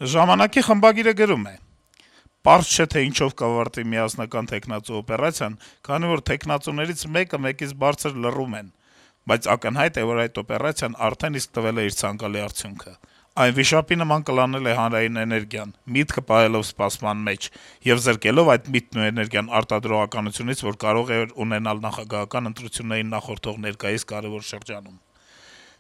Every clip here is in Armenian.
Ժամանակի խմբագիրը գրում է. - «Պարզ չէ, թե ինչով կավարտվի միասնական թեկնածու օպերացիան, քանի որ թեկնածուներից մեկը մեկից բարձր լռում են, բայց ակնհայտ է, որ այդ օպերացիան արդեն իսկ տվել է իր ցանկալի արդյունքը: Այն վիշապի նման կլանել է հանրային էներգիան, միտքը պահելով սպասման մեջ եւ զրկելով այդ միտքն ու էներգիան արտադրողականությունից, որ կարող էր ունենալ նախագահական ընտրություններին նախորդող ներկայիս կարեւոր շրջանում: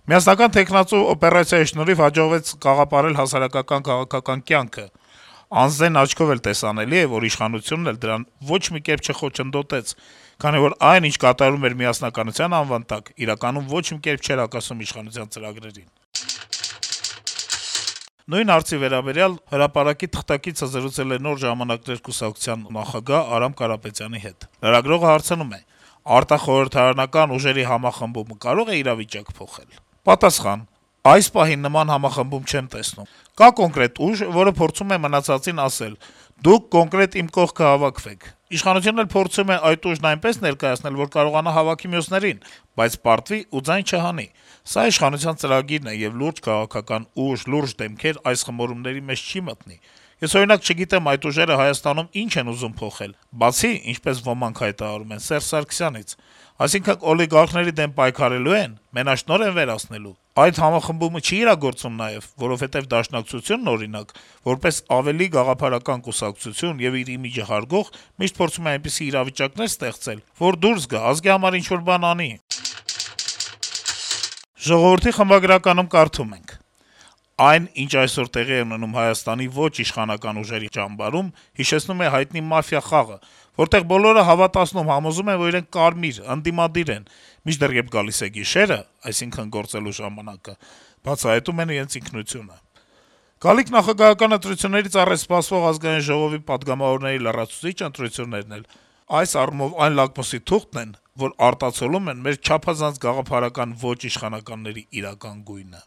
Միասնական թեկնածու օպերացիայի շնորհիվ հաջողվեց կաղապարել հասարակական քաղաքական կյանքը: Անզեն աչքով էլ տեսանելի է, որ իշխանությունն էլ դրան ոչ մի կերպ չխոչընդոտեց, քանի որ այն, ինչ կատարվում էր միասնականության անվան տակ, իրականում ոչ մի կերպ չէր հակասում իշխանության ծրագրերին»: Նույն հարցի վերաբերյալ «Հրապարակ»-ի թղթակիցը զրուցել է «Նոր ժամանակներ» կուսակցության նախագահ Արամ Կարապետյանի հետ: Լրագրողը հարցնում է. - «Արտախորհրդարանական ուժերի համախմբումը կարո՞ղ է իրավիճակ փոխել»: Պատասխան. - «Այս պահին նման համախմբում չեմ տեսնում: Կա կոնկրետ ուժ, որը փորձում է մնացածին ասել. «Դուք կոնկրետ իմ կողքը հավաքվեք»: Իշխանությունն էլ փորձում է այդ ուժն այնպես ներկայացնել, որ կարողանա հավաքի մյուսներին, բայց պարտվի ու ձայն չհանի: Սա իշխանության ծրագիրն է, եւ լուրջ քաղաքական ուժ, լուրջ դեմքեր այս խմորումների մեջ չի մտնի: Ես, օրինակ, չգիտեմ այդ ուժերը Հայաստանում ինչ են ուզում փոխել, բացի, ինչպես ոմանք հայտարարում են, Սերժ Սարգսյանից: Այսինքն օլիգարխների դեմ պայքարելո՞ւ են, մենաշնորհ են վերացնելու: Այդ համախմբումը չի՞ իրագործում նաեւ, որովհետեւ Դաշնակցությունն, օրինակ, որպես ավելի գաղափարական կուսակցություն եւ իր իմիջը հարգող, միշտ փորձում է այնպիսի իրավիճակներ ստեղծել, որ դուրս գա, ազգի համար ինչ-որ բան անի»: «Ժողովուրդ»-ի խմբագրականում կարդում ենք. - «Այն, ինչ այսօր տեղի է ունենում Հայաստանի ոչ իշխանական ուժերի ճամբարում, հիշեցնում է հայտնի մաֆիա խաղը, որտեղ բոլորը հավատացնում, համոզում են, որ իրենք կարմիր, ընդդիմադիր են, մինչդեռ երբ գալիս է գիշերը, այսինքն գործելու ժամանակը, բացահայտում են իրենց ինքնությունը: Գալիք նախագահական ընտրություններից առաջ սպասվող Ազգային ժողովի պատգամավորների լրացուցիչ ընտրություններն էլ այս առումով այն լակմուսի թուղթն են, որ արտացոլում են մեր չափազանց գաղափարական ոչ իշխանականների իրական գույնը»: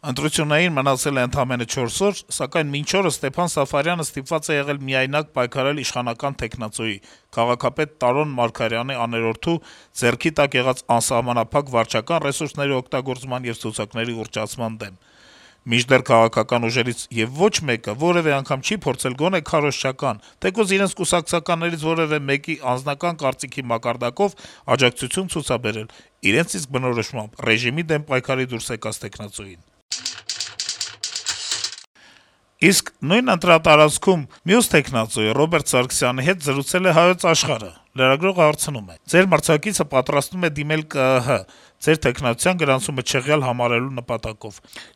Ընտրություններին մնացել է ընդամենը 4 օր, սակայն մինչ օրս Ստեփան Սաֆարյանը ստիպված է եղել միայնակ պայքարել իշխանական թեկնածուի՝ քաղաքապետ Տարոն Մարգարյանի աներորդու ձեռքի տակ եղած անսահմանափակ վարչական ռեսուրսների օգտագործման եւ ցուցակների ուռճացման դեմ: Մինչդեռ քաղաքական ուժերից եւ ոչ մեկը որեւէ անգամ չի փորձել գոնե քարոզչական, թեկուզ իրենց կուսակցականներից որեւէ մեկի անձնական կարծիքի մակարդակով աջակցություն ցուցաբերել իրենց իսկ բնորոշմամբ ռեժիմի դեմ պայքարի դուրս եկած թեկնածուին»: Իսկ նույն ընտրատարածքում մյուս թեկնածուի՝ Ռոբերտ Սարգսյանի հետ զրուցել է «Հայոց Աշխարհ»-ը: Լրագրողը հարցնում է. - «Ձեր մրցակիցը պատրաստվում է դիմել ԿԸՀ՝ ձեր թեկնածության գրանցումը չեղյալ համարելու նպատակով: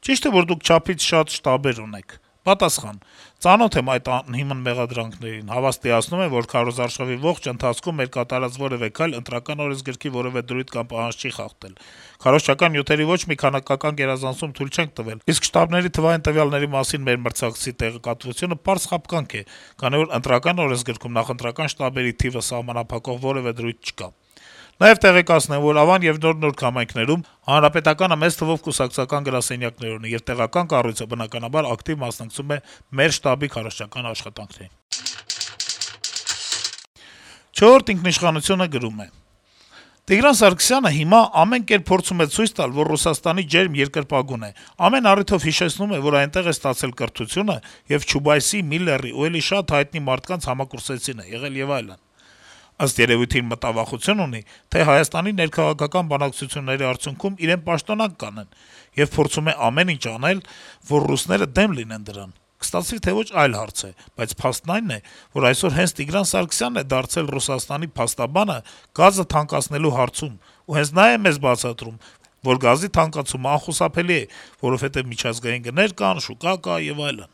Ճի՞շտ է, որ դուք չափից շատ շտաբեր ունեք»: Պատասխան. - «Ծանոթ եմ այդ անհիմն մեղադրանքներին: Հավաստիացնում եմ, որ քարոզարշավի ողջ ընթացքում մեր կատարած որեւէ քայլ Ընտրական օրենսգրքի որեւէ դրույթ կամ պահանջ չի խախտել: Քարոզչական նյութերի ոչ մի քանակական գերազանցում թույլ չենք տվել, իսկ շտաբների թվային տվյալների մասին մեր մրցակցի տեղեկատվությունը պարզ խաբկանք է, քանի որ Ընտրական օրենսգրքում նախընտրական շտաբերի թիվը սահմանափակող որեւէ դրույթ չկա: Նաեւ տեղեկացնեմ, որ Ավան եւ Նոր Նորք համայնքներում Հանրապետականը մեծ թվով կուսակցական գրասենյակներ ունի, եւ տեղական կառույցը, բնականաբար, ակտիվ մասնակցում է մեր շտաբի քարոզչական աշխատանքներին»: «Չորրորդ ինքնիշխանություն»-ը գրում է. - «Տիգրան Սարգսյանը հիմա ամեն կերպ փորձում է ցույց տալ, որ Ռուսաստանի ջերմ երկրպագուն է, ամեն առիթով հիշեցնում է, որ այնտեղ է ստացել կրթությունը եւ Չուբայսի, Միլլերի ու էլի շատ հայտնի մարդկանց համակուրսեցին է եղել եւ այլն: Ըստ երեւույթին մտավախություն ունի, թե Հայաստանի ներքաղաքական բանակցությունների արդյունքում իրեն պաշտոնանկ կանեն, եւ փորձում է ամեն ինչ անել, որ ռուսները դեմ լինեն դրան: Կստացվի թե ոչ, այլ հարց է, բայց փաստն այն է, որ այսօր հենց Տիգրան Սարգսյանն է դարձել Ռուսաստանի փաստաբանը գազը թանկացնելու հարցում, ու հենց նա է մեզ բացատրում, որ գազի թանկացումը անխուսափելի է, որովհետեւ միջազգային գներ կան, շուկա կա եւ այլն»: